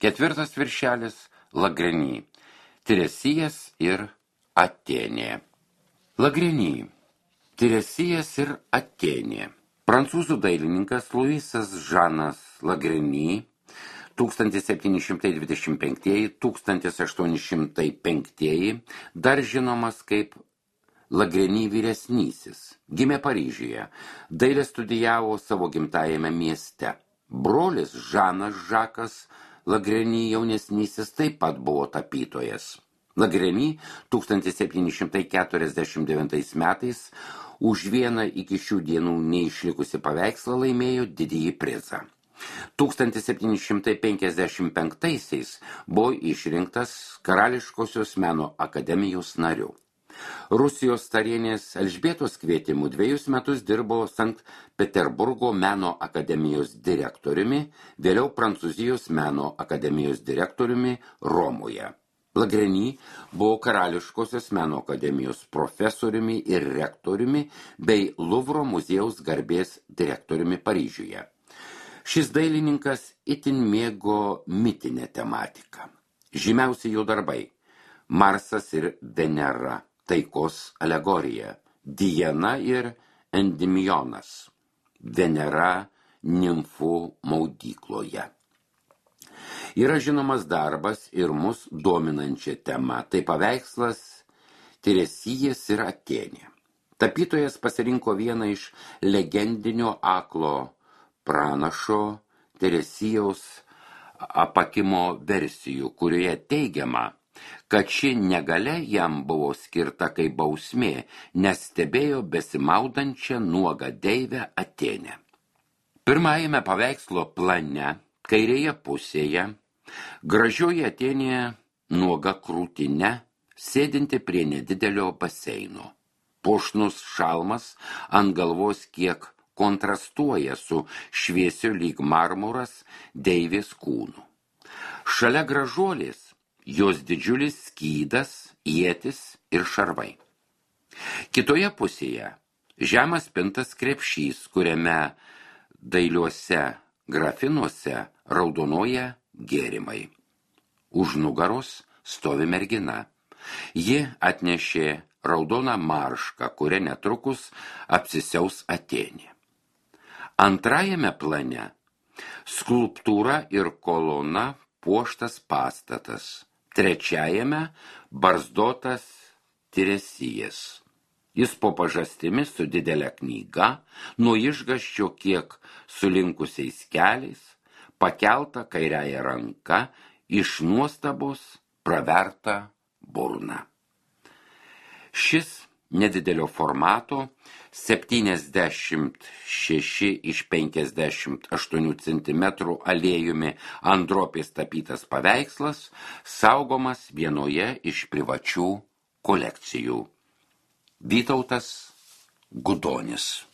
Ketvirtas viršelis Lagreny, Tiresijas ir Atėnė. Lagreny, Tiresijas ir Atėnė. Prancūzų dailininkas Luisas Žanas Lagreny 1725–1805, dar žinomas kaip Lagreny vyresnysis, gimė Paryžiuje, dailę studijavo savo gimtajame mieste. Brolis Žanas Žakas Lagreny jaunesnysis taip pat buvo tapytojas. Lagreny 1749 metais už vieną iki šių dienų neišlikusi paveikslą laimėjo didįjį prizą. 1755 buvo išrinktas Karališkosios meno akademijos nariu. Rusijos carienės Elžbietos kvietimu 2 metus dirbo Sankt Peterburgo meno akademijos direktoriumi, vėliau Prancūzijos meno akademijos direktoriumi Romoje. Lagreny buvo Karališkosios meno akademijos profesoriumi ir rektoriumi bei Luvro muziejaus garbės direktoriumi Paryžiuje. Šis dailininkas itin mėgo mitinę tematiką. Žymiausi jo darbai – Marsas ir Venera, taikos alegorija, Diana ir Endimionas, Venera nimfų maudykloje. Yra žinomas darbas ir mus dominančia tema, tai paveikslas Tiresijas ir Atėnė. Tapytojas pasirinko vieną iš legendinio aklo pranašo Teresijaus apakimo versijų, kurioje teigiama, kad ši negalia jam buvo skirta kaip bausmė, nes stebėjo besimaudančią nuogą deivę Atėnę. Pirmajame paveikslo plane, kairėje pusėje, gražioji Atėnė nuoga krūtine, sėdinti prie nedidelio baseino. Puošnus šalmas ant galvos kiek kontrastuoja su šviesiu lyg marmuras deivės kūnu. Šalia gražuolės jos didžiulis skydas, ietis ir šarvai. Kitoje pusėje žemas pintas krepšys, kuriame dailiuose grafinuose raudonuoja gėrimai. Už nugaros stovi mergina. Ji atnešė raudoną maršką, kuria netrukus apsisiaus Atėnė. Antrajame plane skulptūra ir kolona puoštas pastatas. Trečiajame barzdotas Tiresijas. Jis po pažastimi su didelė knyga, nuo išgąsčio kiek sulinkusiais keliais, pakelta kairiąja ranka, iš nuostabos praverta burna. Šis nedidelio formato 76x58 cm aliejumi ant drobės tapytas paveikslas saugomas vienoje iš privačių kolekcijų. Vytautas Gudonis.